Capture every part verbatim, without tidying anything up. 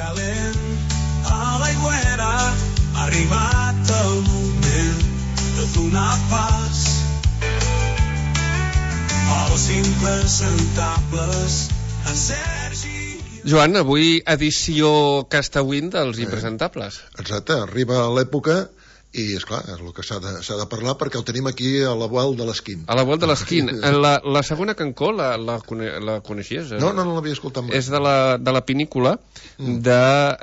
calent a l'aigüera, ha arribat el moment de donar pas als impresentables, en Sergi. Joan, avui edició Castawin dels impresentables. Exacte, arriba l'època i, esclar, és el que s'ha de, s'ha de parlar perquè el tenim aquí a la Vuel de l'Esquin. A la Vuel de l'Esquin. La, la segona cancó, la, la, la coneixies? No, no, no l'havia escoltat mai. És de la, de la pinícula mm. de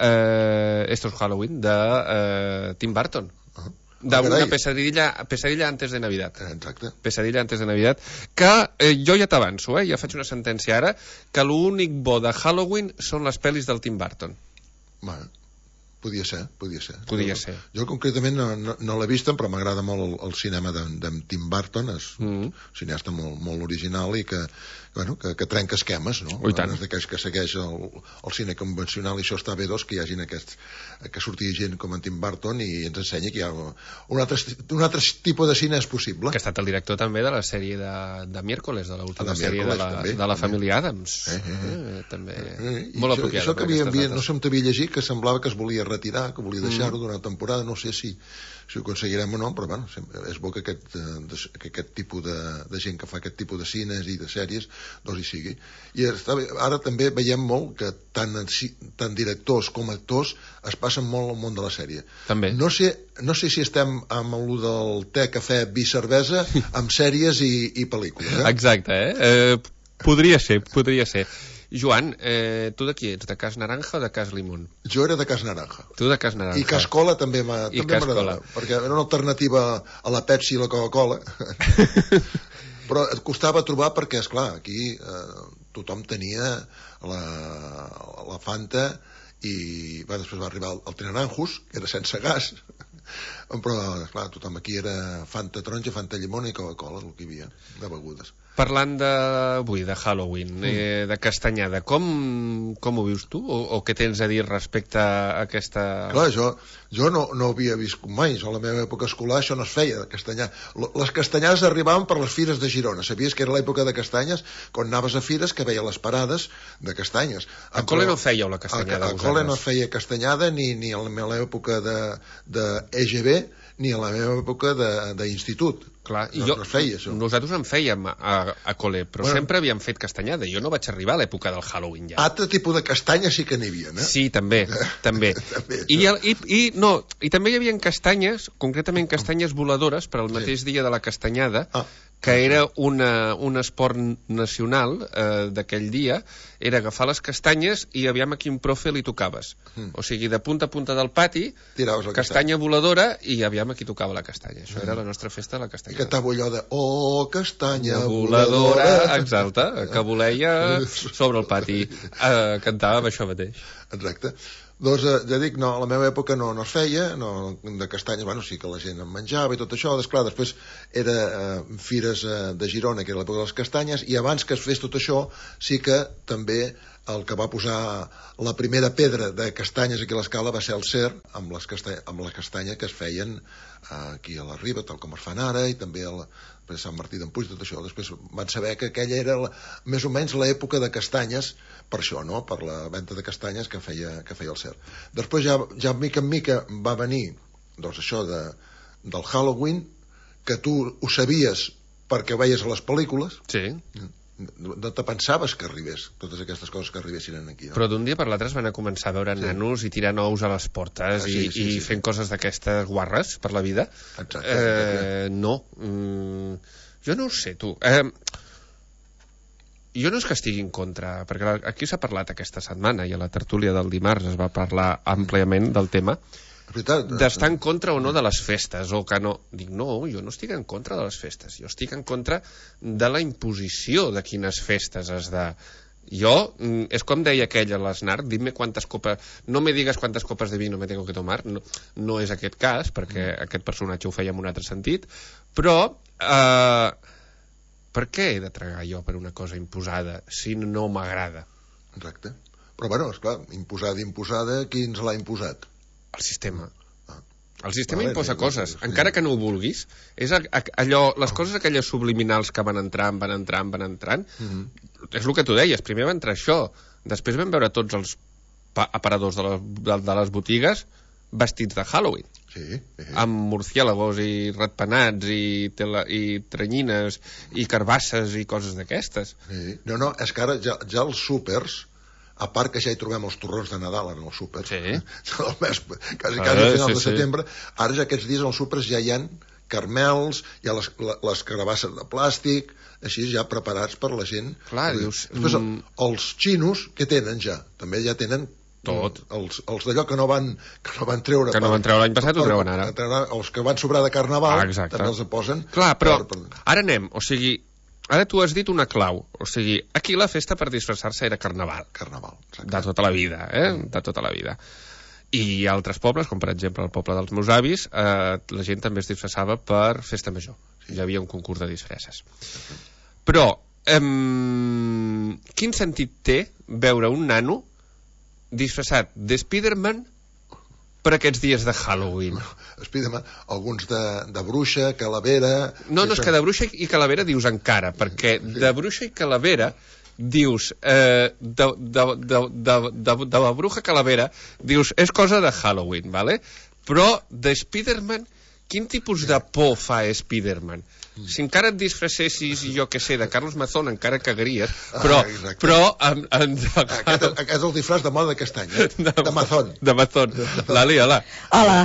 eh, Estos Halloween, de eh, Tim Burton. Uh-huh. D'una pesadilla, pesadilla antes de Navidad. Exacte. Pesadilla antes de Navidad. Que eh, jo ja t'avanço, eh, ja faig una sentència ara, que l'únic bo de Halloween són les pel·lis del Tim Burton. Bueno, podia ser, podia ser. Podia jo, ser. Jo concretament no, no, no l'he vist, però m'agrada molt el, el cinema de, de Tim Burton, és mm. un cineasta molt, molt original i que, bueno, que, que trenca esquemes, no? Oh, és d'aquells que segueix el, el cine convencional, i això està bé, doncs, que hi hagin aquests, que surti gent com en Tim Burton i ens ensenyi que hi ha un altre, un altre tipus de cine és possible. Que ha estat el director també de la sèrie de, de Miércoles, de l'última sèrie de la, també, de la també. família Adams. Eh, eh, eh. Eh, també eh, molt això, apropiada. Això que havia, havia, no sé on t'havia llegit, que semblava que es volia retirar, que volia deixar-ho mm. d'una temporada, no sé si, si ho aconseguirem o no, però bueno, és bo que aquest, que aquest tipus de, de gent que fa aquest tipus de cines i de sèries doncs hi sigui. I està bé, ara també veiem molt que tant, tant directors com actors es passen molt al món de la sèrie. També. No sé, no sé si estem amb el del te, cafè, vi, cervesa, amb sèries i, i pel·lícules. Eh? Exacte, eh? eh? Podria ser, podria ser. Joan, eh, tu de qui ets? De Cas Naranja o de Cas Limón? Jo era de Cas Naranja. Tu de Cas Naranja. I Cas Cola també m'agradava, perquè era una alternativa a la Pepsi i la Coca-Cola. Però et costava trobar perquè, esclar, aquí eh, tothom tenia la, la Fanta i va, després va arribar el, el Tinaranjos, que era sense gas, però, esclar, tothom aquí era Fanta taronja, Fanta llimona i Coca-Cola, el que hi havia de begudes. Parlant d'avui, de Halloween, mm. eh, de castanyada, com, com ho vius tu? O, o què tens a dir respecte a aquesta... Clar, jo, jo no, no havia vist mai, a la meva època escolar això no es feia, de castanyar. Les castanyades arribaven per les fires de Girona. Sabies que era l'època de castanyes? Quan anaves a fires que veia les parades de castanyes. A Cole no fèieu la castanyada? A, a Cole no feia castanyada ni, ni a l'època de, de E G B ni a la meva època d'institut. Clar, i no, jo, no es feia això. Nosaltres en fèiem a, a Cole, però bueno, sempre havíem fet castanyada. Jo no vaig arribar a l'època del Halloween ja. Altre tipus de castanyes sí que n'hi havia, eh? Sí, també, també. també I, el, i, i, no, I també hi havia castanyes, concretament castanyes voladores, per al mateix sí. dia de la castanyada, ah. que era una, un esport nacional eh, d'aquell dia, era agafar les castanyes i aviam a quin profe li tocaves. Mm. O sigui, de punta a punta del pati, castanya, castanya voladora, i aviam a qui tocava la castanya. Això mm. era la nostra festa de la castanya. I cantava allò de, oh, castanya voladora, voladora. Exacte, que voleia sobre el pati. Eh, cantava això mateix. Exacte. Doncs, eh, ja dic, no, a la meva època no, no es feia, no, de castanyes, bueno, sí que la gent en menjava i tot això, després, després era eh, fires eh, de Girona, que era l'època de les castanyes, i abans que es fes tot això, sí que també el que va posar la primera pedra de castanyes aquí a l'Escala va ser el Cer, amb les, castanya, amb les castanyes que es feien eh, aquí a la Riba, tal com es fan ara, i també a la, a Sant Martí d'en Puig, tot això. Després van saber que aquella era la, més o menys l'època de castanyes, per això, no?, per la venda de castanyes que feia, que feia el Cer. Després ja, ja mica en mica va venir, doncs això de, del Halloween, que tu ho sabies perquè ho veies a les pel·lícules. Sí. No te pensaves que arribés, totes aquestes coses que arribessin aquí. No? Però d'un dia per l'altre es van a començar a veure sí. nanos i tirar nous a les portes ah, sí, i, sí, i sí, fent sí. coses d'aquestes guarres per la vida. Exacte. Eh, no. Mm, jo no ho sé, tu. Eh, jo no és que estigui en contra, perquè aquí s'ha parlat aquesta setmana i a la tertúlia del dimarts es va parlar àmpliament del tema d'estar en contra o no de les festes, o que no. Dic, no, jo no estic en contra de les festes, jo estic en contra de la imposició de quines festes has de... Jo, és com deia aquell a l'Snark, dime quantes copes, no me digues quantes copes de vino me tengo que tomar, no, no és aquest cas, perquè mm. aquest personatge ho feia en un altre sentit, però eh, per què he de tragar jo per una cosa imposada si no m'agrada? Exacte. Però bueno, esclar, imposada, imposada, qui ens l'ha imposat? El sistema. El sistema vale, imposa coses, sí. encara que no ho vulguis. És allò, les coses aquelles subliminals que van entrant, van entrant, van entrant. Mm-hmm. És el que tu deies, primer va entrar això, després vam veure tots els aparadors de les, de, de les botigues vestits de Halloween. Sí, sí. Amb murciélagos i ratpenats i, tela, i tranyines i carbasses i coses d'aquestes. Sí. No, no, és que ara ja, ja els súpers, a part que ja hi trobem els torrons de Nadal en els súpers, sí. el mes, quasi, quasi a final sí, de setembre, sí. Ara ja aquests dies als súpers ja hi ha carmels, hi ha les, les carabasses de plàstic, així ja preparats per la gent. Clar, dius... Després, mm... els xinos, què tenen ja? També ja tenen tot. Els, els d'allò que no van que no van treure que no van treure l'any passat ho treuen ara. Els que van sobrar de Carnaval ah, també els posen. Clar, però per, per... ara anem, o sigui, ara tu has dit una clau, o sigui, aquí la festa per disfressar-se era Carnaval. Carnaval, exacte. De tota la vida, eh? De tota la vida. I altres pobles, com per exemple el poble dels meus avis, eh, la gent també es disfressava per festa major. Sí. Hi havia un concurs de disfresses. Sí. Però, eh, quin sentit té veure un nano disfressat de Spiderman per aquests dies de Halloween? Spiderman, alguns de, de bruixa, calavera... No, no, és que de bruixa i calavera dius encara, perquè sí. De bruixa i calavera dius eh, de, de, de, de, de, de la bruja calavera dius, és cosa de Halloween, ¿vale? Però de Spiderman, quin tipus de por fa Spiderman? Si encara et disfressessis, jo que sé, de Carlos Mazón, encara cagaries, però... Ah, però en, en... Aquest, aquest és el disfraç de moda d'aquest any, eh? de, de Mazón. De Mazón. Lali, hola. Hola.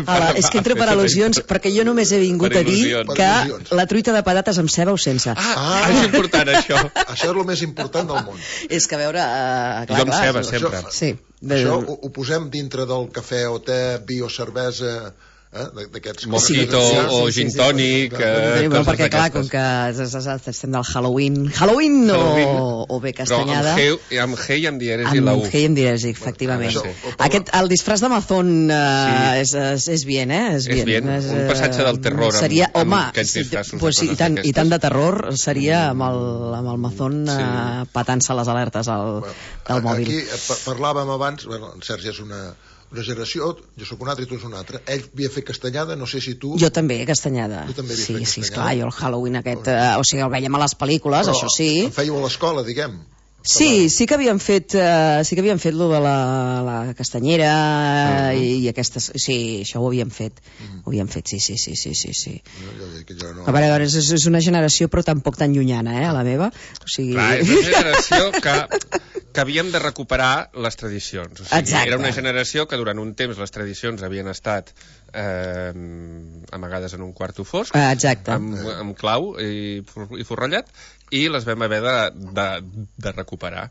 Hola. És que entro per al·lusions, perquè jo només he vingut a dir que la truita de patates amb ceba o sense. Ah, ah. És important, això. Això és el més important del món. És que, a veure... Uh, clar, jo amb ceba, clar, sempre. Això, sí. Això ho, ho posem dintre del cafè o te, bio, cervesa... Eh, mojito sí, o sí, gin tònic sí, sí, sí. Eh, perquè clar, com que estem del Halloween Halloween, Halloween. O, o bé castanyada però amb G i amb dièresi la U amb G i amb dièresi, efectivament bueno, sí. Aquest, el disfraç de Mazón uh, sí. és, és, és bien, eh? És, és bien, és, un passatge del terror seria, amb, home, amb aquests disfraços pues, i, tant, i tant de terror seria amb el, amb el Mazón sí. uh, patant-se les alertes al, bueno, del mòbil. Aquí parlàvem abans, bueno, en Sergi és una una generació, jo sóc una altra i tu ets una altra. Ell havia fet castanyada, no sé si tu... Jo també, castanyada. Tu també sí, fet sí, castanyada. Esclar, jo el Halloween aquest... Eh, o sigui, el veiem a les pel·lícules, però això sí. Em fèieu a l'escola, diguem. Sí, sí que havíem fet uh, sí que havíem fet lo de la, la castanyera uh-huh. i, i aquestes... Sí, això ho havíem fet. Uh-huh. Ho havíem fet, sí, sí, sí, sí, sí. sí. No, jo dic que jo no... A veure, és, és una generació però tampoc tan llunyana, eh, la meva. O sigui... Clar, és una generació que, que havíem de recuperar les tradicions. O sigui, exacte. Era una generació que durant un temps les tradicions havien estat eh, amagades en un quarto fosc, exacte. Amb, amb clau i, i forrellat, i les vam haver de, de, de recuperar.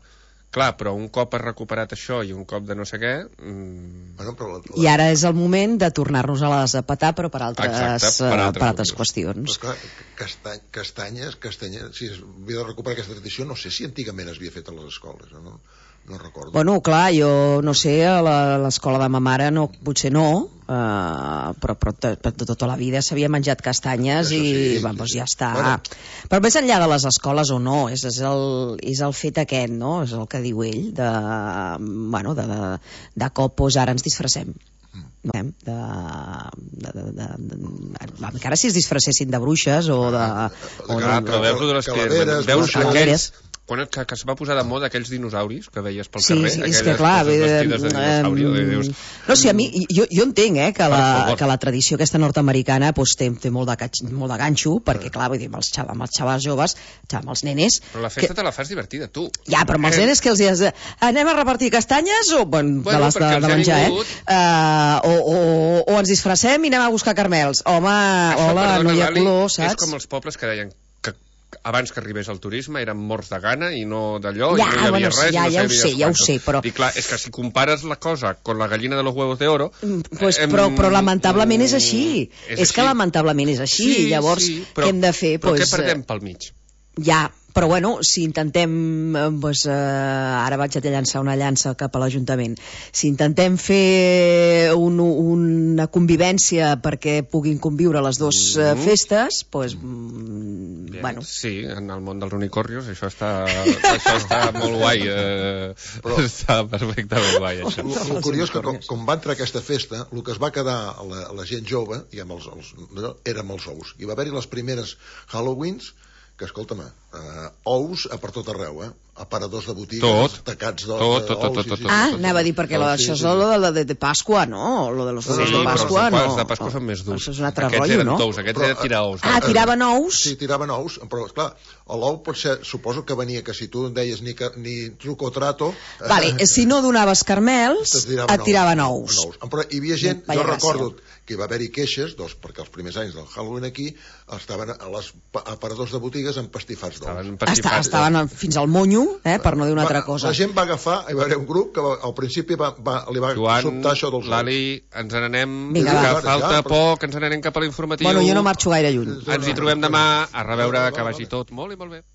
Clar, però un cop has recuperat això i un cop de no sé què... Mmm... Bueno, però la, la... I ara és el moment de tornar-nos a les a petar, però per altres, exacte, per altres, per altres qüestions. Però clar, castany, castanyes, castanyes... Si es havia de recuperar aquesta tradició, no sé si antigament es havia fet a les escoles, no? No recordo. Bueno, clar, jo no sé, a l'escola de ma mare no, potser no, uh, però, però de tota la vida s'havia menjat castanyes i sí, vamos, sí. Ja està. Bueno. Però més enllà de les escoles o no, és, és, el, és el fet aquest, no? És el que diu ell, de, bueno, de, de, de cop, doncs ara ens disfressem. No? De, de, de, de, de, encara si es disfressessin de bruixes o de... O de, de, veus de les calaveres, veus aquells... Quan que, que es va posar de moda aquells dinosauris que veies pel sí, carrer, sí, aquelles és que, clar, coses vestides de dinosauri, eh, eh, dius... No, sí, a mi, jo, jo entenc eh, que, la, que la tradició aquesta nord-americana pues, té, té molt, de, molt de ganxo, perquè clar, vull dir, amb els, xava, amb els xavals joves, amb els nenes... Però la festa que... te la fas divertida, tu. Ja, però amb els nenes que els dius, anem a repartir castanyes o bueno, bueno, de les de, de menjar, eh? Uh, o, o, o ens disfressem i anem a buscar carmels. Home, això, hola, perdona, no hi ha color, saps? És com els pobles que deien abans que arribés el turisme eren morts de gana i no d'allò, ja, i no hi havia bueno, res, ja, no ja ho sé, ja ho sé, però... I clar, és que si compares la cosa con la gallina de los huevos de oro... Pues, eh, però, però lamentablement és així. És, és així. Que lamentablement és així. Sí, llavors, sí, però, què hem de fer? Però pues, què perdem pel mig? Ja, però bueno, si intentem, pues, eh, ara vaig a llançar una llança cap a l'Ajuntament, si intentem fer un, una convivència perquè puguin conviure les dues mm. uh, festes, pues, mm, Bien, bueno. Sí, en el món dels unicornios això està, això està molt guai, eh, però està perfectament guai, això. El, el curiós que com, com va entrar aquesta festa, el que es va quedar a la, a la gent jove, diguem, els, els, érem els ous. Hi va haver-hi les primeres Halloweens que, escolta'm, uh, ous a per tot arreu, eh? Aparadors de botigues, tot. tacats d'ous. Tot, tot, tot, tot, tot. Ah, anava a dir, perquè lo, això és lo de, de, de Pasqua, no? Lo de los huevos de Pasqua, no? Els de Pasqua són més durs. Això és un altre aquests rotllo, eren no? tous, aquests eren tirar ous. Ah, tiraven ous? Sí, tiraven ous, però, esclar, l'ou potser, suposo que venia, que si tu deies ni, ni truco o trato... Vale, eh, si no donaves carmels, et tiraven ous. ous. Però hi havia gent, jo recordo que hi va haver-hi queixes, doncs, perquè els primers anys del Halloween aquí estaven a les aparadors de botigues empastifats d'ous. Estaven, estaven fins al monyo, eh, per no dir una altra cosa. La gent va agafar, hi va haver un grup que va, al principi va, va, li va Joan, sobtar això dels ous. Lali, ens n'anem, Vinga, que va. falta ja, però... poc, ens n'anem cap a l'informatiu. Bueno, jo no marxo gaire lluny. Ens hi trobem demà, a reveure, que vagi tot molt i molt bé.